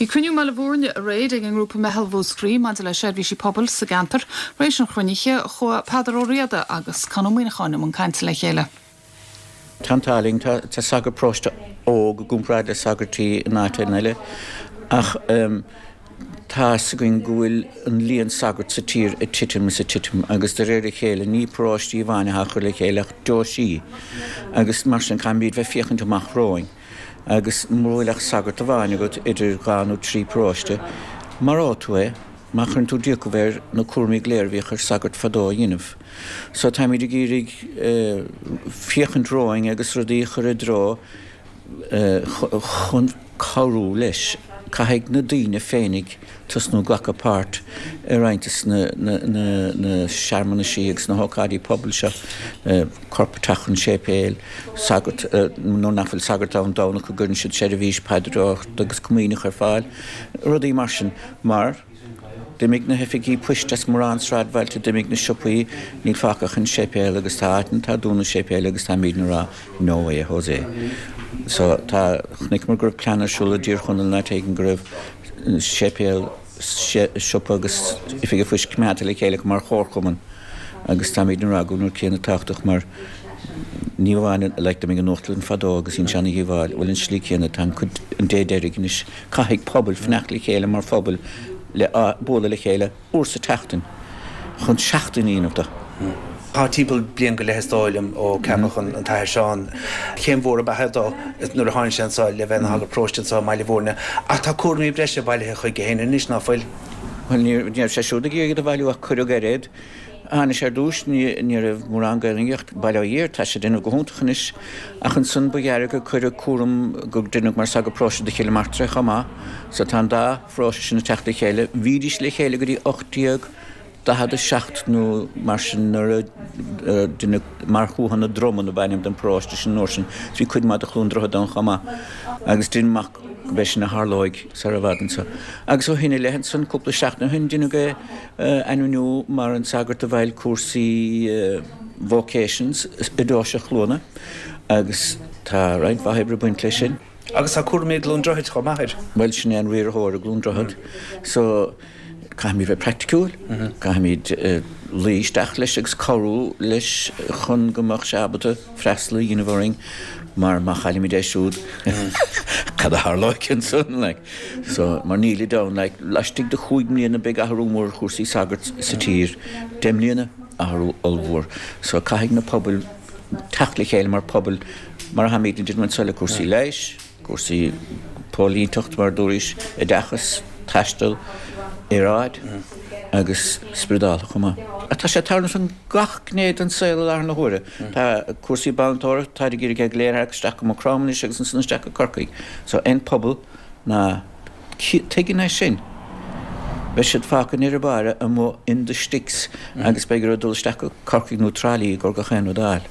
Bhí cruinniú i mBaile Bhúirne aréir ag an ngrúpa Meitheal Mhúscraí maidir le seirbhísí pobail sa gceantar. Tar éis an chruinnithe, chuaigh Peadar Ó Riada agus Con Ó Muíneacháin i mbun cainte le chéile. Tá an t-ádh linn, tá sagart paróiste óg i gcomparáid le sagairtí in áiteanna eile ach tá 'fhios againn go bhfuil an líon sagart sa tír ag titim is ag titim agus de réir a chéile ní paróistí amháin atá á chur le chéile ach deoisí agus mar sin caithfimid bheith féachaint amach romhainn. Agus mura bhfuil ach sagart amháin agat idir dhá nó trí paróiste, maróidh tú é má chuireann tú d'fhiachaibh air na cúraimí go léir a bhíodh ar sagart fadó a dhéanamh. So táimid ag iarraidh féachaint romhainn agus rudaí a chur i dtreo chun cabhrú leis. Caithfidh na daoine féinig tosnú ag glacadh páirt i roinnt de na searmanaisí agus na hócáidí pobail seo, corp ag teacht chun séipéil, sagart, nuair nach bhfuil sagart ann Domhnach go gcuireann siad seirbhís paidreoireachta agus comaoineach ar fáil, rudaí mar sin. Mar d'imigh na hoifigí poist as mórán sráidbhailte, d'imigh na siopaí, níl fágtha ach an séipéal agus tá áiteanna atá ag dúnadh séipéil agus táimidne ag rá no way Jose. So tá, chonaiceamar go raibh plean ar siúl i dTír Chonaill in áit éigin go raibh séipéal, siopa agus oifig an phoist coimeádta le chéile mar chomharchumann agus táimidne ag rá go bhfuil an rud céanna tábhachtach mar ní amháin like d'imigh an uachtarlann fadó agus dhein sé ana dhíobháil, bhuel an slí céanna tá an cuid an dé deiridh anois caithfidh pobail fanacht le chéile mar phobal le bualadh le chéile uair sa tseachtain chun seachtain a dhéanamh de. Tá timpeall bliain go leith is dóigh liom ó ceapadh an tAthair Seán. Céim mhór ab ea é dó nuair a tháinig sé anseo le bheith ina shagart paróiste anseo i mBaile Bhúirne. Ach tá cúraimí breise bailithe chuige féin anois, ná fuil? Bhuel, ní raibh sé siúd ag iarraidh iad a bhailiú ach cuireadh air iad. Tháinig sé ar dtús, ní raibh mórán Gaelainne ach bail ó Dhia air, tá sé ag déanamh go hiontach anois. Ach ansan ba ghearr gur cuireadh cúram go deineadh mar sagart paróiste do Chill Martra é chomh maith. So tá an dá pharóiste sin ag teacht le chéile. Bhídís le chéile go dtí 1847 nó mar sin nuair a deineadh mar Thuatha na Dromann ab ainm don pharóiste sin an uair sin. Bhí cuid maith de Chluain Droichead ann chomh maith agus deinim amach gurb é sin a tharlóidh sar i bhfad anso. Agus ó shin i leith ansan, cúpla seachtain ó shin, deineadh é a ainmniú mar an sagart a bhfeighil cúrsaí vocations i deoise Chluana agus tá roinnt mhaith oibre ag baint leis sin. Agus tá cúraimí i gCluain Droichid chomh maith air. Bhuel, sin é an riarthóir i gCluain Droichead. So, caithfimid bheith praiticiúil, caithfimid luí isteach leis agus cabhrú leis chun go mbeadh sé ábalta freastal a dhéanamh orainn mar má chaillimid é siúd, cad a tharlóidh ansan, like. So, mar nílid ann, like, laistigh de chúig mbliana beidh athrú mór ar chúrsaí sagart sa tír, 10 mbliana, athrú ollmhór. So, caithfidh na pobail teacht le chéile mar phobal, mar a tháimid ag déanamh anseo le cúrsaí leighis, cúrsaí póilínteacht mar a dúraís, oideachas, taisteal, aeráid agus spioradálta chomh maith. Tá sé ag tarlúint in gach gné den saol i láthair na huaire. Tá cúrsaí balltóireachta, táid ag iarraidh é go léir a tharrac isteach go Maigh Chromtha anois agus ansan isteach go Corcaigh. So aon pobal ná tuigeann é sin, beidh siad fágtha i ndeireadh báire amuigh in the sticks agus beidh orthu dul isteach go Corcaigh nó Trá Lí i gcomhair gach aon rud a fháil.